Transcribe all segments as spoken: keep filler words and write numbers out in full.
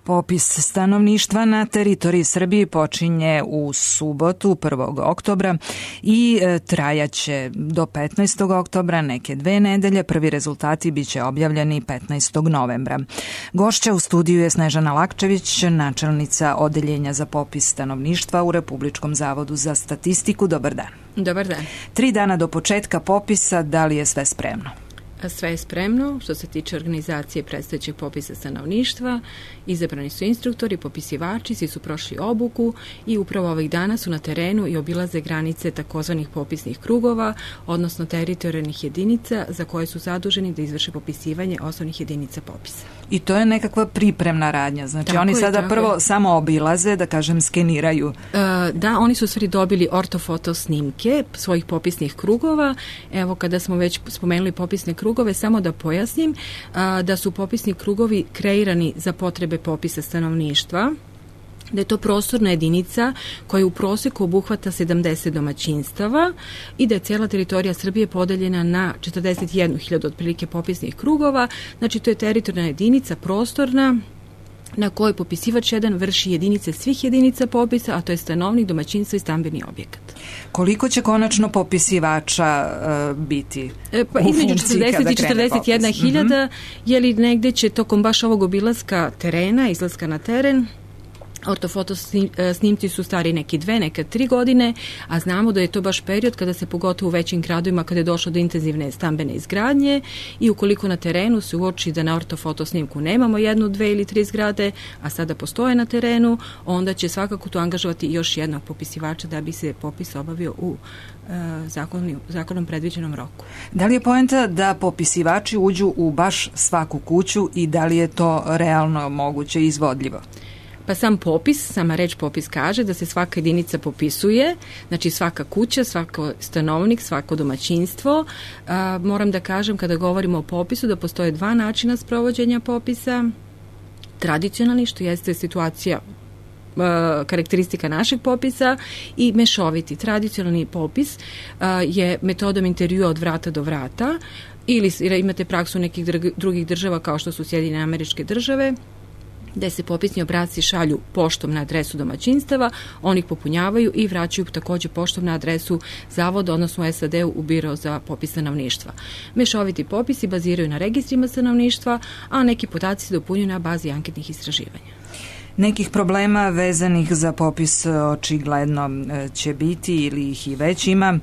Popis stanovništva na teritoriji Srbije počinje u subotu prvog oktobra i trajaće do petnaestog oktobra, neke dve nedelje. Prvi rezultati biće objavljeni petnaestog novembra. Gošća u studiju je Snežana Lakčević, načelnica Odeljenja za popis stanovništva u Republičkom zavodu za statistiku. Dobar dan. Dobar dan. Tri dana do početka popisa, da li je sve spremno? Sve je spremno što se tiče organizacije predstojećeg popisa stanovništva. Izabrani su instruktori, popisivači, svi su prošli obuku i upravo ovih dana su na terenu i obilaze granice takozvanih popisnih krugova, odnosno teritorijalnih jedinica za koje su zaduženi da izvrše popisivanje osnovnih jedinica popisa. I to je nekakva pripremna radnja, znači tako oni je, sada prvo je. samo obilaze, da kažem, skeniraju. E, da, oni su stvari dobili ortofoto snimke svojih popisnih krugova. Evo, kada smo već spomenuli popisne krugove, samo da pojasnim a, da su popisni krugovi kreirani za potrebe popisa stanovništva, da je to prostorna jedinica koja u proseku obuhvata sedamdeset domaćinstava i da je cijela teritorija Srbije podeljena na četrdeset jednu hiljadu otprilike popisnih krugova. Znači, to je teritorijalna jedinica prostorna na kojoj popisivač jedan vrši jedinice svih jedinica popisa, a to je stanovnik, domaćinstvo i stambeni objekat. Koliko će konačno popisivača uh, biti e, pa, u između četrdeset i četrdeset jedna hiljada, mm-hmm. je li negde će tokom baš ovog obilaska terena, izlaska na teren, ortofoto snimci su stari neki dve, neke tri godine, a znamo da je to baš period kada se pogotovo u većim gradovima kada je došlo do intenzivne stambene izgradnje i ukoliko na terenu se uoči da na ortofoto snimku nemamo jednu, dve ili tri zgrade, a sada postoje na terenu, onda će svakako tu angažovati još jednog popisivača da bi se popis obavio u Zakonom, zakonom predviđenom roku. Da li je poenta da popisivači uđu u baš svaku kuću i da li je to realno moguće i izvodljivo? Pa sam popis, sama reč popis kaže da se svaka jedinica popisuje, znači svaka kuća, svako stanovnik, svako domaćinstvo. A, moram da kažem kada govorimo o popisu da postoje dva načina sprovođenja popisa. Tradicionalni, što jeste situacija karakteristika našeg popisa, i mešoviti. Tradicionalni popis a, je metodom intervjua od vrata do vrata, ili imate praksu nekih drugih država kao što su Sjedinjene Američke Države, gde se popisni obrasci šalju poštom na adresu domaćinstava, oni ih popunjavaju i vraćaju takođe poštom na adresu zavoda, odnosno u S A D-u u Biro za popis stanovništva. Mešoviti popisi baziraju na registrima stanovništva, a neki podaci se dopunjuju na bazi anketnih istraživanja. Nekih problema vezanih za popis očigledno će biti ili ih i već ima.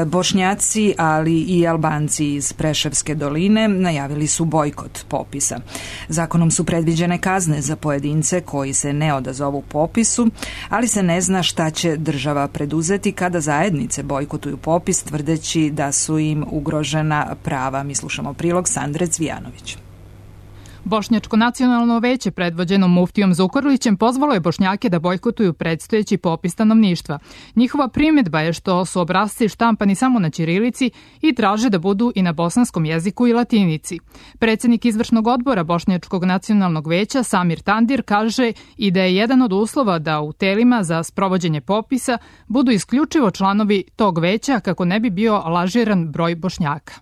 Bošnjaci, ali i Albanci iz Preševske doline najavili su bojkot popisa. Zakonom su predviđene kazne za pojedince koji se ne odazovu popisu, ali se ne zna šta će država preduzeti kada zajednice bojkotuju popis, tvrdeći da su im ugrožena prava. Mi slušamo prilog Sandre Cvijanović. Bošnjačko nacionalno veće predvođeno muftijom Zukorlićem pozvalo je Bošnjake da bojkotuju predstojeći popis stanovništva. Njihova primjedba je što su obrasci štampani samo na ćirilici i traže da budu i na bosanskom jeziku i latinici. Predsjednik izvršnog odbora Bošnjačkog nacionalnog veća Samir Tandir kaže i da je jedan od uslova da u telima za sprovođenje popisa budu isključivo članovi tog veća kako ne bi bio lažiran broj Bošnjaka.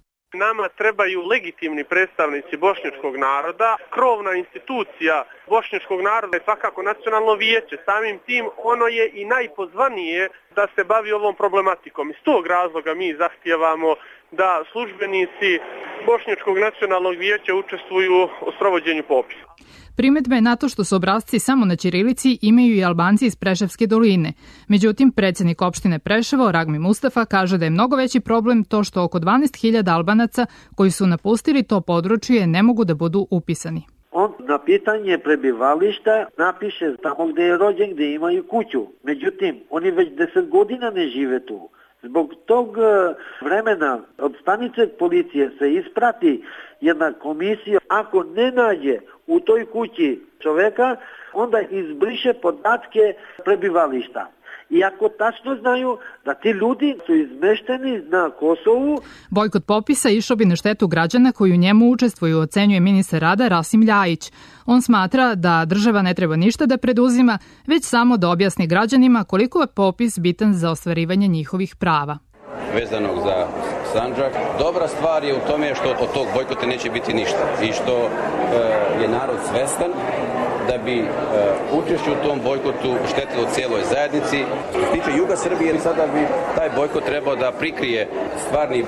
Nama trebaju legitimni predstavnici bošnjačkog naroda. Krovna institucija bošnjačkog naroda je svakako nacionalno vijeće. Samim tim ono je i najpozvanije da se bavi ovom problematikom. Iz tog razloga mi zahtijevamo da službenici bošnjačkog nacionalnog vijeća učestvuju u sprovođenju popisa. Primedbe na to što su obrasci samo na ćirilici imaju i Albanci iz Preševske doline. Međutim, predsjednik opštine Preševo, Ragmi Mustafa, kaže da je mnogo veći problem to što oko dvanaest hiljada Albanaca koji su napustili to područje ne mogu da budu upisani. On na pitanje prebivališta napiše tamo gde je rođen, gde imaju kuću. Međutim, oni već deset godina ne žive tu. Zbog tog vremena od stanice policije se isprati jedna komisija. Ako ne nađe u toj kući čoveka, onda izbriše podatke prebivališta. I ako tačno znaju da ti ljudi su izmešteni na Kosovu. Bojkot popisa išao bi na štetu građana koji u njemu učestvuju, ocenjuje ministar rada Rasim Ljajić. On smatra da država ne treba ništa da preduzima, već samo da objasni građanima koliko je popis bitan za ostvarivanje njihovih prava. Vezanog za Sandžak, dobra stvar je u tome što od tog bojkota neće biti ništa i što e, je narod svestan da bi uh, učešće u tom bojkotu štetilo cijeloj zajednici. Što se tiče juga Srbije, sada bi taj bojkot trebao da prikrije stvarni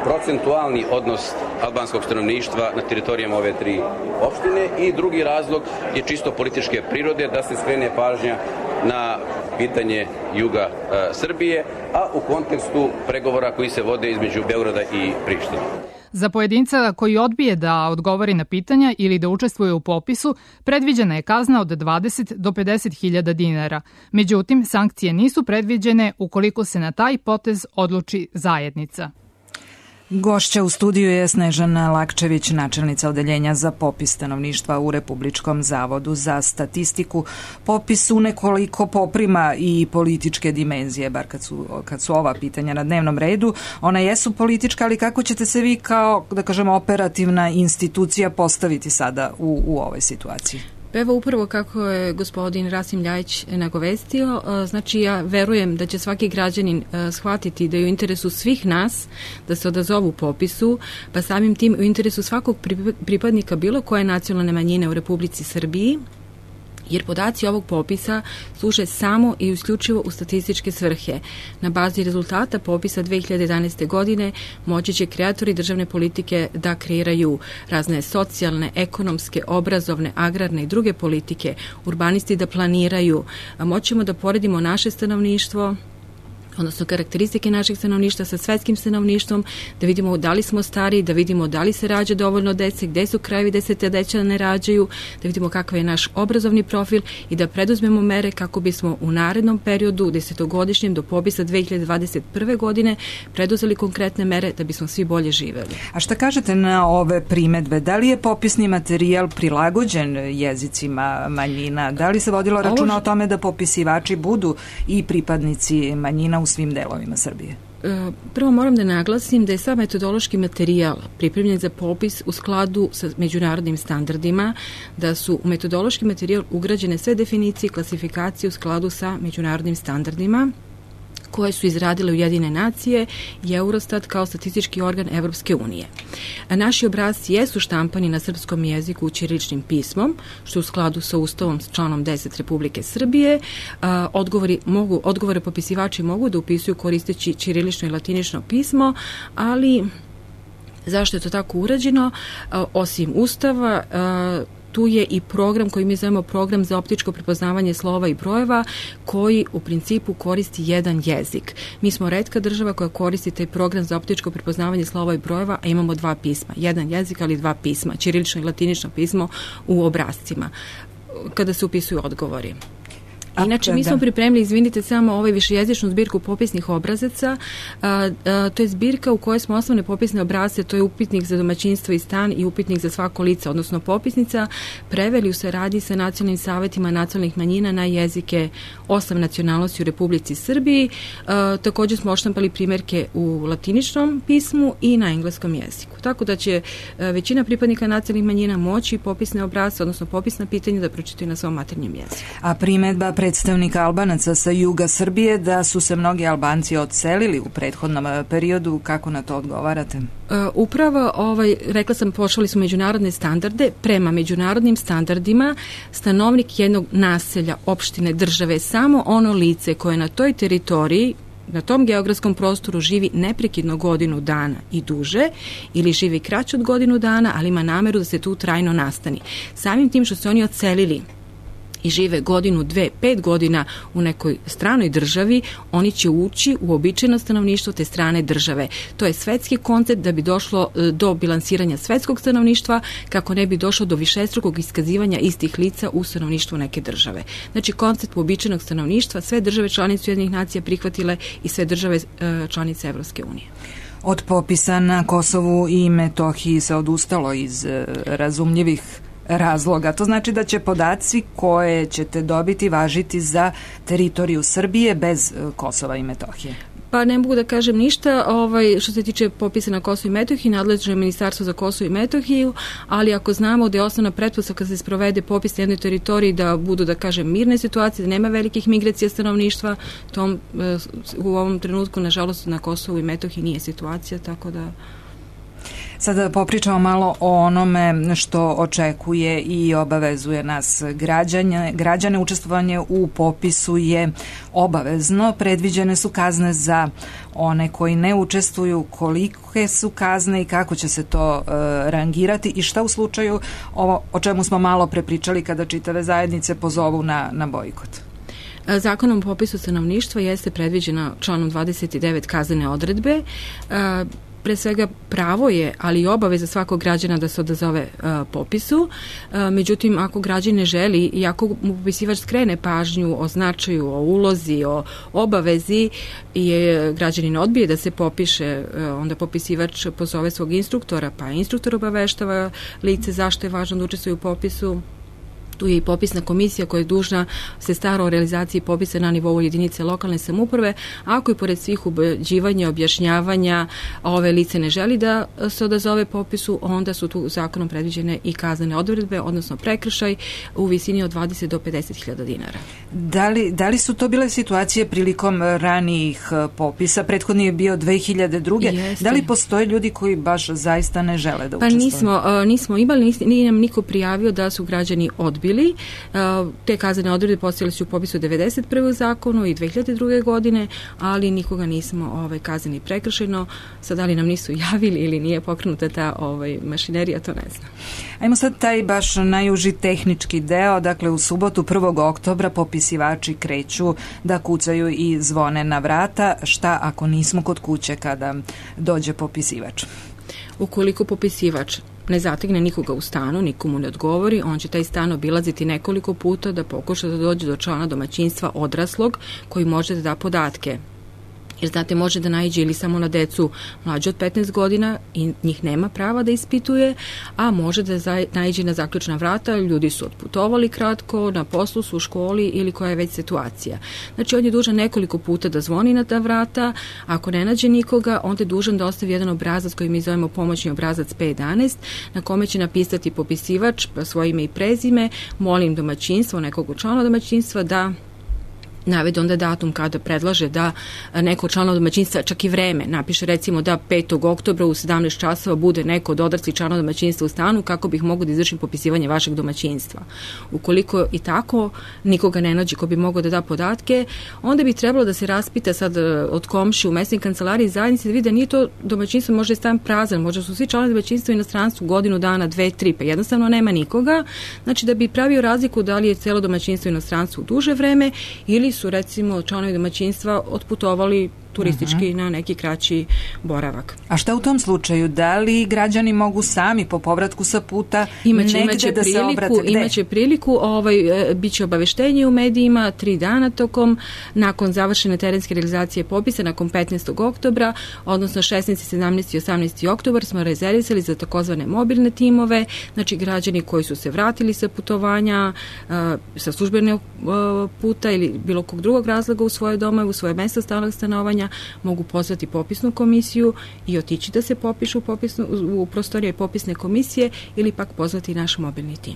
procentualni odnos albanskog stanovništva na teritorijama ove tri opštine i drugi razlog je čisto političke prirode, da se skrene pažnja na pitanje juga e, Srbije, a u kontekstu pregovora koji se vode između Beograda i Prištine. Za pojedinca koji odbije da odgovori na pitanja ili da učestvuje u popisu, predviđena je kazna od dvadeset do pedeset hiljada dinara. Međutim, sankcije nisu predviđene ukoliko se na taj potez odluči zajednica. Gošća u studiju je Snežana Lakčević, načelnica odeljenja za popis stanovništva u Republičkom zavodu za statistiku. Popis u nekoliko poprima i političke dimenzije, bar kad su, kad su ova pitanja na dnevnom redu. Ona jesu politička, ali kako ćete se vi kao, da kažemo, operativna institucija postaviti sada u, u ovoj situaciji? Evo upravo kako je gospodin Rasim Ljajić nagovestio, znači ja verujem da će svaki građanin shvatiti da je u interesu svih nas da se odazovu popisu, pa samim tim u interesu svakog pripadnika bilo koje nacionalne manjine u Republici Srbiji, jer podaci ovog popisa služe samo i isključivo u statističke svrhe. Na bazi rezultata popisa dve hiljade jedanaeste. godine moći će kreatori državne politike da kreiraju razne socijalne, ekonomske, obrazovne, agrarne i druge politike, urbanisti da planiraju. Moćemo da poredimo naše stanovništvo, odnosno karakteristike našeg stanovništva sa svetskim stanovništvom, da vidimo da li smo stari, da vidimo da li se rađa dovoljno dece, gde su krajevi gde se te deca ne rađaju, da vidimo kakav je naš obrazovni profil i da preduzmemo mere kako bismo u narednom periodu, desetogodišnjem do popisa dve hiljade dvadeset prve. godine, preduzeli konkretne mere da bismo svi bolje živeli. A šta kažete na ove primetbe? Da li je popisni materijal prilagođen jezicima manjina? Da li se vodilo računa Ovo... o tome da popisivači budu i pripadnici manjina u svim delovima Srbije? Prvo moram da naglasim da je sam metodološki materijal pripremljen za popis u skladu sa međunarodnim standardima, da su u metodološki materijal ugrađene sve definicije i klasifikacije u skladu sa međunarodnim standardima koje su izradile Ujedinjene nacije i Eurostat kao statistički organ Evropske unije. Naši obrasci jesu štampani na srpskom jeziku ćiriličnim pismom, što je u skladu sa Ustavom s članom deset Republike Srbije. Odgovori mogu, odgovore popisivači mogu da upisuju koristeći ćirilično i latinično pismo, ali zašto je to tako urađeno? Osim Ustava, tu je i program koji mi zovemo program za optičko prepoznavanje slova i brojeva, koji u principu koristi jedan jezik. Mi smo retka država koja koristi taj program za optičko prepoznavanje slova i brojeva, a imamo dva pisma. Jedan jezik, ali dva pisma, ćirilično i latinično pismo u obrascima, kada se upisuju odgovori. Inače, mi smo pripremili, izvinite, samo ovaj višejezičnu zbirku popisnih obrazaca. A, a, to je zbirka u kojoj smo osnovne popisne obrazce, to je upitnik za domaćinstvo i stan i upitnik za svako lice, odnosno popisnica, preveli u saradnji sa nacionalnim savetima nacionalnih manjina na jezike osam nacionalnosti u Republici Srbiji. A, također smo odštampali primjerke u latiničnom pismu i na engleskom jeziku. Tako da će a, većina pripadnika nacionalnih manjina moći popisne obrazce, odnosno popisna pitanja da pročitaju na svom maternjem jeziku. A primedba predstavnika Albanaca sa juga Srbije da su se mnogi Albanci odselili u prethodnom periodu, kako na to odgovarate? Upravo, ovaj, rekla sam, pošli smo međunarodne standarde. Prema međunarodnim standardima stanovnik jednog naselja, opštine, države, samo ono lice koje na toj teritoriji, na tom geografskom prostoru živi neprekidno godinu dana i duže, ili živi kraće od godinu dana, ali ima nameru da se tu trajno nastani. Samim tim što se oni odselili i žive godinu, dve, pet godina u nekoj stranoj državi, oni će ući u običajno stanovništvo te strane države. To je svetski koncept da bi došlo do bilansiranja svetskog stanovništva, kako ne bi došlo do višestrukog iskazivanja istih lica u stanovništvu neke države. Znači, koncept uobičajenog stanovništva sve države članice Ujedinjenih nacija prihvatile i sve države članice Evropske unije. Od popisa na Kosovu i Metohiji se odustalo iz razumljivih razloga. To znači da će podaci koje ćete dobiti važiti za teritoriju Srbije bez Kosova i Metohije. Pa ne mogu da kažem ništa ovaj, što se tiče popisa na Kosovo i Metohiji, nadležno je Ministarstvo za Kosovo i Metohiju, ali ako znamo da je osnovna pretpostavka kada se sprovede popis na jednoj teritoriji da budu, da kažem, mirne situacije, da nema velikih migracija stanovništva, tom, u ovom trenutku, nažalost, na Kosovu i Metohiji nije situacija, tako da... Sada popričamo malo o onome što očekuje i obavezuje nas građane. Građane učestvovanje u popisu je obavezno. Predviđene su kazne za one koji ne učestvuju, kolike su kazne i kako će se to e, rangirati i šta u slučaju ovo o čemu smo malo prepričali kada čitave zajednice pozovu na, na bojkot. Zakonom o popisu stanovništva jeste predviđena članom dvadeset devet kaznene odredbe. E, Pre svega pravo je, ali i obaveza svakog građana da se odazove uh, popisu. Uh, međutim, ako građan ne želi i ako mu popisivač skrene pažnju o značaju, o ulozi, o obavezi i je građanin odbije da se popiše, uh, onda popisivač pozove svog instruktora, pa instruktor obaveštava lice zašto je važno da učestvuje u popisu. Tu je i popisna komisija koja je dužna se stara o realizaciji popisa na nivou jedinice lokalne samouprave. Ako i pored svih ubeđivanja, objašnjavanja ove lice ne želi da se odazove popisu, onda su tu zakonom predviđene i kaznene odredbe, odnosno prekršaj u visini od dvadeset do pedeset hiljada dinara. Da li, da li su to bile situacije prilikom ranijih popisa? Prethodni je bio dve hiljade druge. Jeste. Da li postoje ljudi koji baš zaista ne žele da učestvuju? Pa nismo, nismo imali, nije nam niko prijavio da su građani odbili. Te kaznene odredbe postojale su u popisu devedeset prve zakonu i dve hiljade druge godine, ali nikoga nismo ovaj, kazneni prekršajno. Sad da li nam nisu javili ili nije pokrenuta ta ovaj, mašinerija, to ne znam. Ajmo sad taj baš najuži tehnički deo. Dakle, u subotu prvog oktobra popisivači kreću da kucaju i zvone na vrata. Šta ako nismo kod kuće kada dođe popisivač? Ukoliko popisivač ne zategne nikoga u stanu, nikomu ne odgovori, on će taj stan obilaziti nekoliko puta da pokuša da dođe do člana domaćinstva odraslog koji može da da podatke. Jer znate, može da naiđe ili samo na decu mlađe od petnaest godina i njih nema prava da ispituje, a može da naiđe na zaključna vrata, ljudi su otputovali kratko, na poslu su u školi ili koja je već situacija. Znači, on je dužan nekoliko puta da zvoni na ta vrata, ako ne nađe nikoga, onda je dužan da ostavi jedan obrazac koji mi zovemo pomoćni obrazac P jedanaest, na kome će napisati popisivač svoje ime i prezime, molim domaćinstvo, nekog člana domaćinstva da navede onda datum kada predlaže da neko člana domaćinstva, čak i vreme, napiše recimo da petog oktobra u sedamnaest časova bude neko od odraslih člana domaćinstva u stanu kako bih mogao da izvršim popisivanje vašeg domaćinstva. Ukoliko i tako nikoga ne nađe ko bi mogao da da podatke, onda bi trebalo da se raspita sad od komši u mesnoj kancelariji zajednici da vidi da nije to domaćinstvo, možda je stan prazan, možda su svi članovi domaćinstva u inostranstvu godinu dana, dve, tri, pa jednostavno nema nikoga. Znači da bi pravio razliku da li je celo domaćinstvo u inostranstvu duže vreme ili su recimo članovi domaćinstva otputovali turistički uh-huh. na neki kraći boravak. A šta u tom slučaju? Da li građani mogu sami po povratku sa puta imaće, negde imaće da priliku, se obrate? Gde? Imaće priliku, ovaj, biće obaveštenje u medijima tri dana tokom, nakon završene terenske realizacije popisa, nakon petnaestog oktobra, odnosno šesnaesti, sedamnaesti i osamnaesti oktobar smo rezervisali za takozvane mobilne timove, znači građani koji su se vratili sa putovanja, sa službenog puta ili bilo kog drugog razloga u svoje domove, u svoje mesto stalnog stanovanja, mogu pozvati popisnu komisiju i otići da se popišu popisnu, u prostorije popisne komisije ili pak pozvati naš mobilni tim.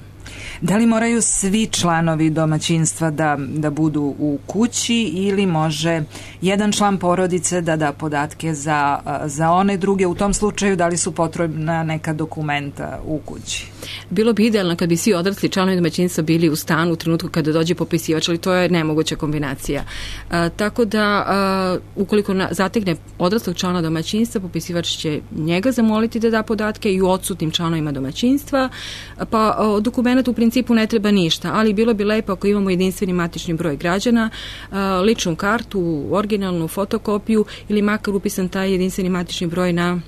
Da li moraju svi članovi domaćinstva da, da budu u kući ili može jedan član porodice da da podatke za, za one druge? U tom slučaju da li su potrebna neka dokumenta u kući? Bilo bi idealno kad bi svi odrasli članovi domaćinstva bili u stanu u trenutku kada dođe popisivač, ali to je nemoguća kombinacija. A, tako da a, ukoliko na, zategne odraslog člana domaćinstva, popisivač će njega zamoliti da da podatke i u odsutnim članovima domaćinstva, pa a, dokument u principu ne treba ništa, ali bilo bi lepo ako imamo jedinstveni matični broj građana, a, ličnu kartu, originalnu fotokopiju ili makar upisan taj jedinstveni matični broj na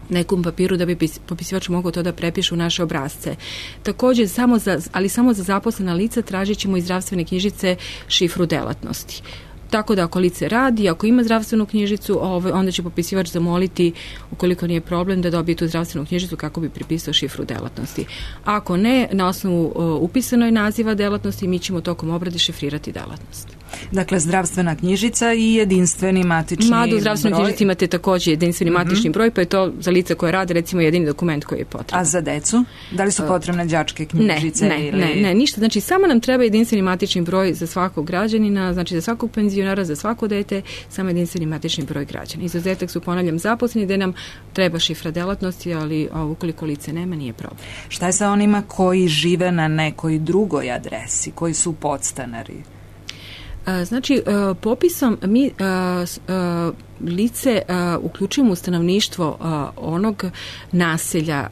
nekom papiru da bi popisivač mogao to da prepiše u naše obrazce. Takođe, samo za, ali samo za zaposlena lica tražit ćemo iz zdravstvene knjižice šifru delatnosti. Tako da ako lice radi, ako ima zdravstvenu knjižicu, onda će popisivač zamoliti, ukoliko nije problem, da dobije tu zdravstvenu knjižicu kako bi pripisao šifru delatnosti. Ako ne, na osnovu upisanoj naziva delatnosti, mi ćemo tokom obrade šifrirati delatnost. Dakle, zdravstvena knjižica i jedinstveni matični broj. Mada u zdravstvenoj knjižici imate također jedinstveni mm-hmm. matični broj, pa je to za lice koje rade recimo jedini dokument koji je potreban. A za decu? Da li su potrebne đačke knjižice? Ne, ne, ili... ne, ne, ništa. Znači, samo nam treba jedinstveni matični broj za svakog građanina, znači za svakog penzionera, za svako dete, samo jedinstveni matični broj građana. Izuzetak su, ponavljam, zaposleni, gde nam treba šifra delatnosti, ali ukoliko lice nema, nije problem. Šta je sa onima koji žive na nekoj drugoj adresi, koji su podstanari? Znači, popisom mi lice uključujemo u stanovništvo onog naselja,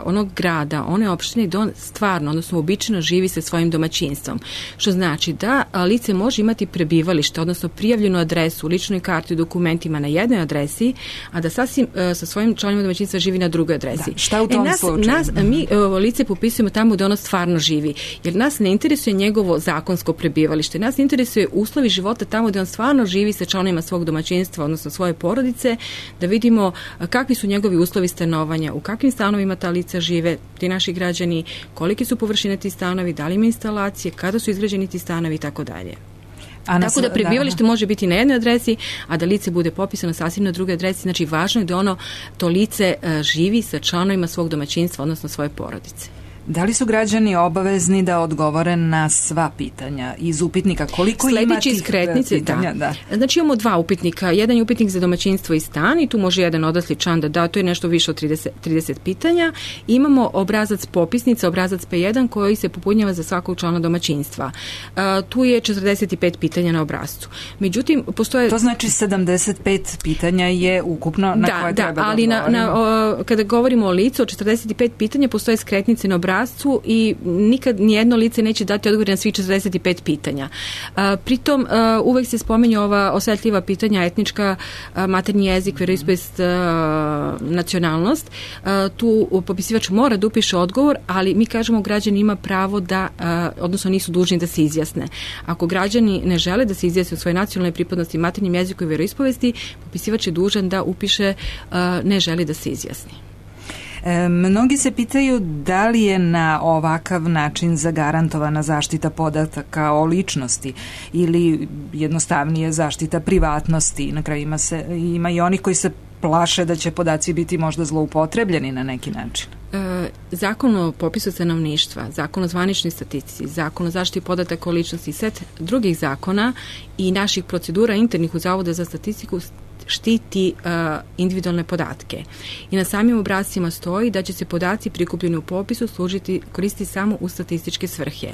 onog grada, one opštine gde on stvarno, odnosno obično živi sa svojim domaćinstvom. Što znači da lice može imati prebivalište, odnosno prijavljenu adresu u ličnoj karti u dokumentima na jednoj adresi, a da sasvim sa svojim članovima domaćinstva živi na drugoj adresi. Da, šta u tom e, nas, slučaju? Nas, mi lice popisujemo tamo gde ono stvarno živi, jer nas ne interesuje njegovo zakonsko prebivalište, nas interesuje uslovi života tamo gde on stvarno živi sa članovima svog domaćinstva, odnosno svoje porodice, da vidimo kakvi su njegovi uslovi stanovanja, u kakvim stanovima ta lica žive, ti naši građani, kolike su površine ti stanovi, da li ima instalacije, kada su izgrađeni ti stanovi i tako dalje. Tako da prebivalište može biti na jednoj adresi, a da lice bude popisano sasvim na drugoj adresi. Znači, važno je da ono, to lice živi sa članovima svog domaćinstva, odnosno svoje porodice. Da li su građani obavezni da odgovore na sva pitanja iz upitnika? Koliko Sledeći ima tih iskretnice, pitanja? Da. da. Znači imamo dva upitnika. Jedan je upitnik za domaćinstvo i stan i tu može jedan odrasli član da da, to je nešto više od trideset, trideset pitanja. Imamo obrazac popisnica, obrazac P jedan koji se popunjava za svakog člana domaćinstva. Uh, tu je četrdeset pet pitanja na obrazcu. Međutim, postoje... To znači sedamdeset pet pitanja je ukupno na da, koje da, treba da ali na, na, o, kada govorimo o licu, od četrdeset pet pitanja postoje skretnice na obrazcu i nikad nijedno lice neće dati odgovor na svih četrdeset pet pitanja. A, pritom a, uvek se spomenju ova osetljiva pitanja, etnička, a, maternji jezik, veroispovest, nacionalnost. A, tu popisivač mora da upiše odgovor, ali mi kažemo građani ima pravo da, a, odnosno nisu dužni da se izjasne. Ako građani ne žele da se izjasne u svojoj nacionalnoj pripadnosti, maternjem jeziku i veroispovesti, popisivač je dužan da upiše a, ne želi da se izjasni. E, mnogi se pitaju da li je na ovakav način zagarantovana zaštita podataka o ličnosti ili jednostavnije zaštita privatnosti. Na kraju ima, se, ima i onih koji se plaše da će podaci biti možda zloupotrebljeni na neki način. E, zakon o popisu stanovništva, zakon o zvaničnoj statistici, zakon o zaštiti podataka o ličnosti i set drugih zakona i naših procedura internih u Zavoda za statistiku štiti uh, individualne podatke. I na samim obrascima stoji da će se podaci prikupljeni u popisu služiti, koristiti samo u statističke svrhe.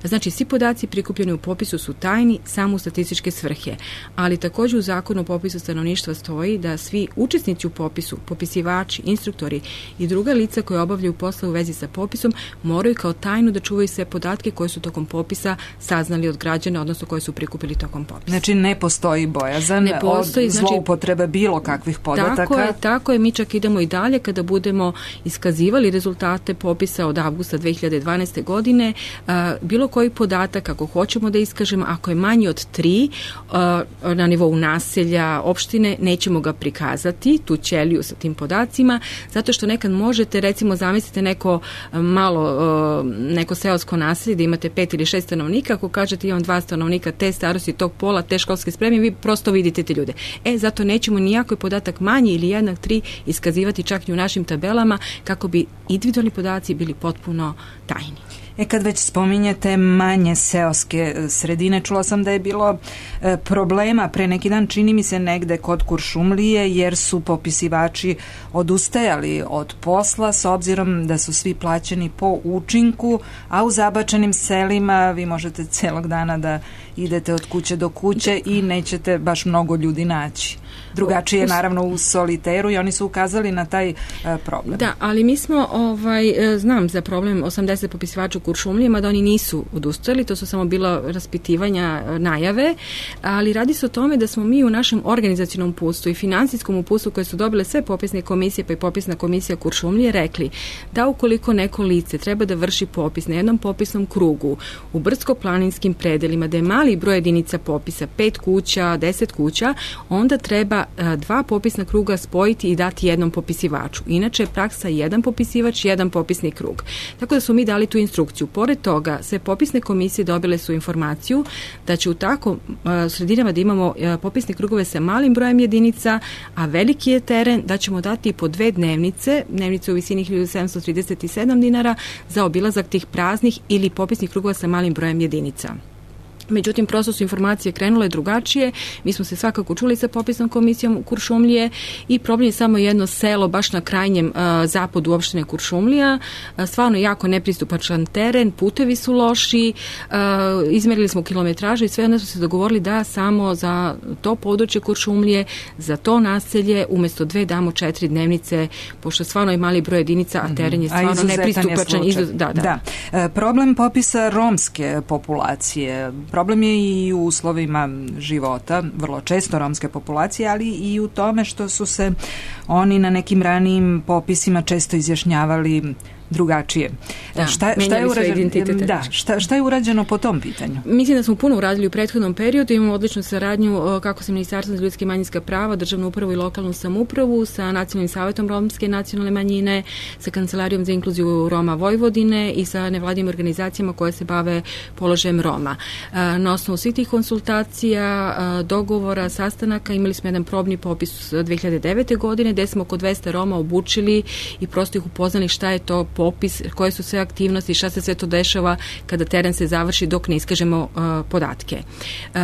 Znači, svi podaci prikupljeni u popisu su tajni samo u statističke svrhe, ali također u zakonu o popisu stanovništva stoji da svi učesnici u popisu, popisivači, instruktori i druga lica koje obavljaju posle u vezi sa popisom moraju kao tajnu da čuvaju sve podatke koje su tokom popisa saznali od građana, odnosno koje su prikupili tokom popisa. Znači, ne postoji bojazan ne postoji, od zloupotrebe potreba bilo kakvih podataka. Tako je, tako je, mi čak idemo i dalje kada budemo iskazivali rezultate popisa od avgusta dve hiljade dvanaeste. godine, a, bilo koji podatak, ako hoćemo da iskažemo, ako je manji od tri a, na nivou naselja, opštine, nećemo ga prikazati, tu ćeliju sa tim podacima, zato što nekad možete, recimo, zamislite neko malo, a, neko seosko naselje da imate pet ili šest stanovnika, ako kažete imam dva stanovnika te starosti, tog pola, te školske spreme, vi prosto vidite te ljude. E, zato nećemo nijako podatak manji ili jednak tri iskazivati čak i u našim tabelama kako bi individualni podaci bili potpuno tajni. E, kad već spominjete manje seoske sredine, čula sam da je bilo e, problema pre neki dan, čini mi se negde kod Kuršumlije, jer su popisivači odustajali od posla s obzirom da su svi plaćeni po učinku, a u zabačenim selima vi možete celog dana da idete od kuće do kuće i nećete baš mnogo ljudi naći. Drugačije je naravno u Soliteru i oni su ukazali na taj uh, problem. Da, ali mi smo, ovaj, znam za problem osamdeset popisivača u Kuršumlijama, da oni nisu odustali, to su samo bilo raspitivanja, najave, ali radi se o tome da smo mi u našem organizacionom uputstvu i finansijskom uputstvu koje su dobile sve popisne komisije, pa i popisna komisija Kuršumlije, rekli da ukoliko neko lice treba da vrši popis na jednom popisnom krugu u brdsko-planinskim predelima, da je mali broj jedinica popisa, pet kuća, deset kuća, onda treba treba dva popisna kruga spojiti i dati jednom popisivaču. Inače je praksa jedan popisivač, jedan popisni krug. Tako da su mi dali tu instrukciju. Pored toga, sve popisne komisije dobile su informaciju da će u tako sredinama da imamo popisne krugove sa malim brojem jedinica, a veliki je teren, da ćemo dati i po dve dnevnice, dnevnice u visini hiljadu sedamsto trideset sedam dinara za obilazak tih praznih ili popisnih krugova sa malim brojem jedinica. Međutim, prosto su informacije krenule drugačije. Mi smo se svakako čuli sa popisnom komisijom Kuršumlije i problem je samo jedno selo baš na krajnjem uh, zapadu opštine Kuršumlija. Uh, stvarno jako nepristupačan teren, putevi su loši, uh, izmerili smo kilometražu i sve onda smo se dogovorili da samo za to područje Kuršumlije, za to naselje, umesto dve damo četiri dnevnice, pošto stvarno je mali broj jedinica, a teren je stvarno nepristupačan. Izuz... Da, da. Da. E, problem popisa romske populacije. Problem je i u uslovima života, vrlo često romske populacije, ali i u tome što su se oni na nekim ranijim popisima često izjašnjavali drugačije. Da, šta, šta, je urađeno, da, šta, šta je urađeno po tom pitanju? Mislim da smo puno uradili u prethodnom periodu, imamo odličnu saradnju kako sa Ministarstvom za ljudske i manjinska prava, državnu upravu i lokalnu samoupravu, sa Nacionalnim savetom romske nacionalne manjine, sa Kancelarijom za inkluziju Roma Vojvodine i sa nevladinim organizacijama koje se bave položajem Roma. Na osnovu svih tih konsultacija, dogovora, sastanaka, imali smo jedan probni popis dve hiljade devete. godine, gde smo oko dvesta Roma obučili i prosto ih upoznali šta je to popis, koje su sve aktivnosti, šta se sve to dešava kada teren se završi dok ne iskažemo uh, podatke. Uh,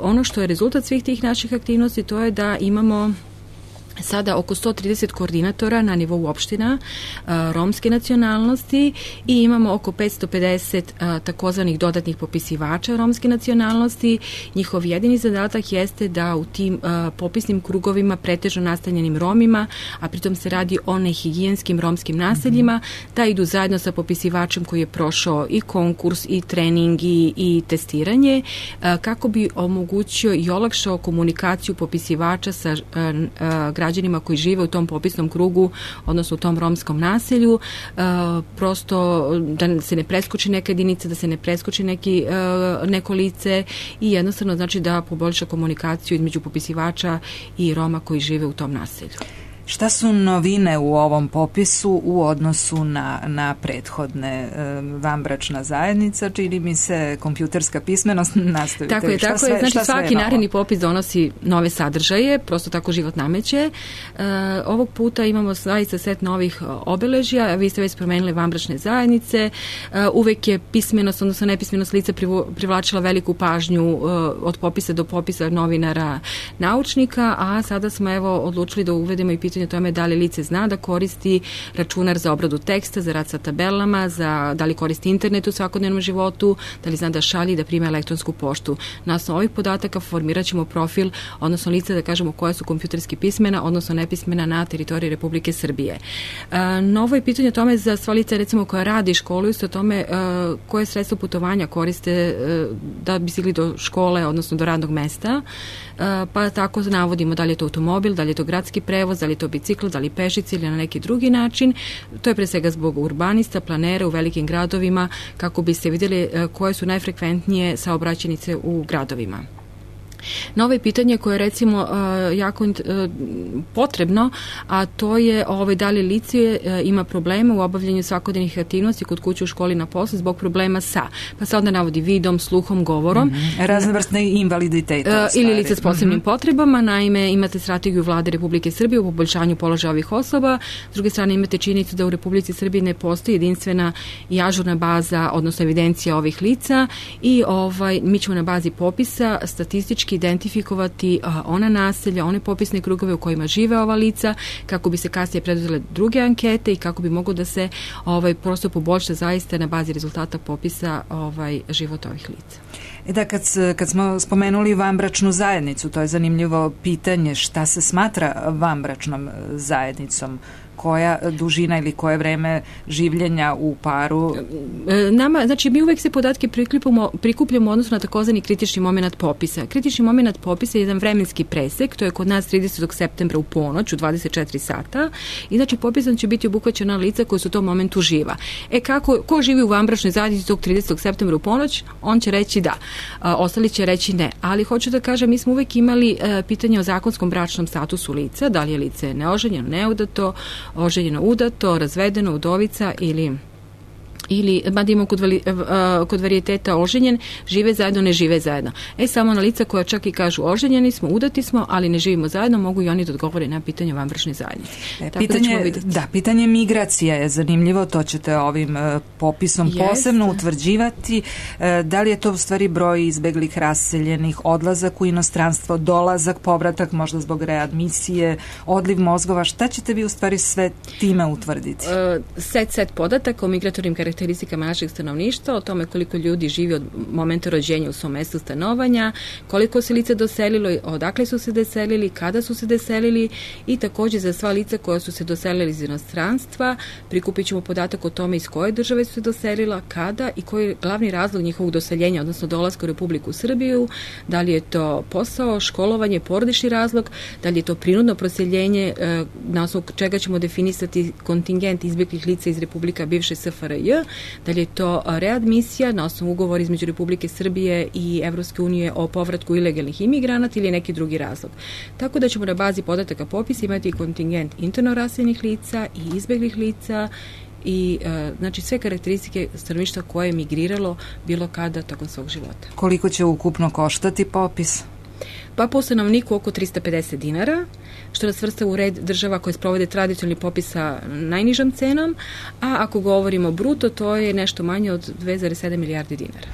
ono što je rezultat svih tih naših aktivnosti, to je da imamo sada oko sto trideset koordinatora na nivou opština uh, romske nacionalnosti i imamo oko petsto pedeset uh, takozvanih dodatnih popisivača romske nacionalnosti. Njihov jedini zadatak jeste da u tim uh, popisnim krugovima pretežno nastanjenim Romima, a pritom se radi o nehigijenskim romskim naseljima, mm-hmm. da idu zajedno sa popisivačem koji je prošao i konkurs i trening i, i testiranje, uh, kako bi omogućio i olakšao komunikaciju popisivača sa uh, uh, građanima koji žive u tom popisnom krugu, odnosno u tom romskom naselju, uh, prosto da se ne preskoči neka jedinica, da se ne preskoči neki, uh, neko lice i jednostavno znači da poboljša komunikaciju između popisivača i Roma koji žive u tom naselju. Šta su novine u ovom popisu u odnosu na, na prethodne e, vanbračna zajednica, čini mi se kompjuterska pismenost, nastavite. Tako je, šta tako sve, je. Znači svaki je naredni popis donosi nove sadržaje, prosto tako život nameće. E, ovog puta imamo zaista set novih obeležja, vi ste već spomenuli vanbračne zajednice, e, uvek je pismenost, odnosno nepismenost lica privlačila veliku pažnju e, od popisa do popisa novinara, naučnika, a sada smo evo odlučili da uvedemo i pitanje o tome da li lice zna da koristi računar za obradu teksta, za rad sa tabelama, za, da li koristi internet u svakodnevnom životu, da li zna da šalji, da prima elektronsku poštu. Na osnovu ovih podataka formirat ćemo profil, odnosno lice da kažemo koja su kompjuterski pismena, odnosno nepismena na teritoriji Republike Srbije. E, novo je pitanje o tome za sva lica recimo koja radi i školuju se o tome e, koje sredstvo putovanja koriste e, da bi stigli do škole, odnosno do radnog mesta, e, pa tako navodimo da li je to automobil, da li je to gradski prevoz, da li je to bicikl, da li pešice ili na neki drugi način. To je pre svega zbog urbanista, planera u velikim gradovima, kako biste vidjeli koje su najfrekventnije saobraćajnice u gradovima. Novo je pitanje koje je recimo jako potrebno, a to je ovaj, da li lice ima problema u obavljanju svakodnevnih aktivnosti kod kuće, u školi, na poslu zbog problema sa, pa se onda navodi vidom, sluhom, govorom. Mm-hmm. Raznovrstne invaliditeta. Ili lice s posebnim mm-hmm. potrebama. Naime, imate strategiju Vlade Republike Srbije u poboljšanju položaja ovih osoba. S druge strane imate činjenicu da u Republici Srbiji ne postoji jedinstvena i ažurna baza, odnosno evidencija ovih lica i ovaj, mi ćemo na bazi popisa statistički identifikovati a, ona naselja, one popisne krugove u kojima žive ova lica, kako bi se kasnije preduzele druge ankete i kako bi moglo da se ovaj, prosto poboljša zaista na bazi rezultata popisa ovaj, život ovih lica. E da, kad, kad smo spomenuli vanbračnu zajednicu, to je zanimljivo pitanje, šta se smatra vanbračnom zajednicom? koja dužina ili koje vreme življenja u paru? Nama, znači mi uvek se podatke prikupljamo, prikupljamo odnosno na takozvani kritični moment popisa. Kritični moment popisa je jedan vremenski presek, to je kod nas tridesetog septembra u ponoć, u dvadeset četiri sata, i znači popisom će biti obuhvaćena lica koja su u tom momentu živa. E kako, ko živi u vanbračnoj zajednici tog tridesetog septembra u ponoć, on će reći da, a, ostali će reći ne. Ali hoću da kažem, mi smo uvek imali a, pitanje o zakonskom bračnom statusu lica, da li je lice neoženjeno, neudato, oženjeno, udato, razvedeno, udovica ili ili, mada imamo kod, vali, kod varijeteta oženjen, žive zajedno, ne žive zajedno. E, samo na lica koja čak i kažu oženjeni smo, udati smo, ali ne živimo zajedno, mogu i oni da odgovore na pitanje vanbračne zajednice. E, pitanje, da, da, pitanje migracija je zanimljivo, to ćete ovim uh, popisom Jest. posebno utvrđivati. Uh, da li je to u stvari broj izbeglih, raseljenih, odlazak u inostranstvo, dolazak, povratak, možda zbog readmisije, odliv mozgova, šta ćete vi u stvari sve time utvrditi? Uh, set, set podataka o migratornim karakteristikama karakteristikama našeg stanovništva, o tome koliko ljudi živi od momenta rođenja u svom mestu stanovanja, koliko se lica doselilo, odakle su se doselili, kada su se doselili, i takođe za sva lica koja su se doselili iz inostranstva prikupit ćemo podatak o tome iz koje države su se doselila, kada i koji je glavni razlog njihovog doseljenja, odnosno dolaska u Republiku Srbiju, da li je to posao, školovanje, porodični razlog, da li je to prinudno proseljenje, na osnovu čega ćemo definisati kontingent izbeglih lica iz Republika bivše S F R J, da li je to readmisija na osnovu ugovora između Republike Srbije i Evropske unije o povratku ilegalnih imigranata ili neki drugi razlog. Tako da ćemo na bazi podataka popisa imati kontingent interno raseljenih lica i izbeglih lica i e, znači sve karakteristike stanovništva koje je migriralo bilo kada tokom svog života. Koliko će ukupno koštati popis? Pa po stanovniku oko trista pedeset dinara, što nas svrsta u red država koje sprovode tradicionalni popis sa najnižom cenom, a ako govorimo bruto, to je nešto manje od dve zarez sedam milijardi dinara.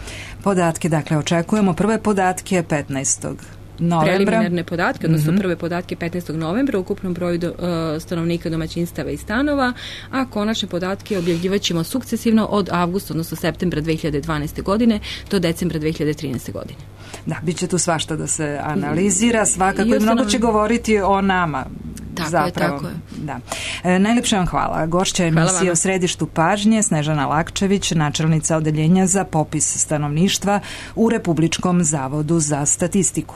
Podatke, dakle, očekujemo prve podatke petnaestog novembra. Preliminarne podatke, odnosno mm-hmm. prve podatke petnaestog novembra u ukupnom broju do, uh, stanovnika, domaćinstava i stanova, a konačne podatke objavljivaćemo sukcesivno od avgusta, odnosno septembra dve hiljade dvanaeste godine do decembra dve hiljade trinaeste godine. Da, bit će tu svašta da se analizira, svakako i mnogo će govoriti o nama. Tako zapravo. je, tako je. Da. E, najlepše vam hvala. Gošća emisije o središtu pažnje Snežana Lakčević, načelnica odeljenja za popis stanovništva u Republičkom zavodu za statistiku.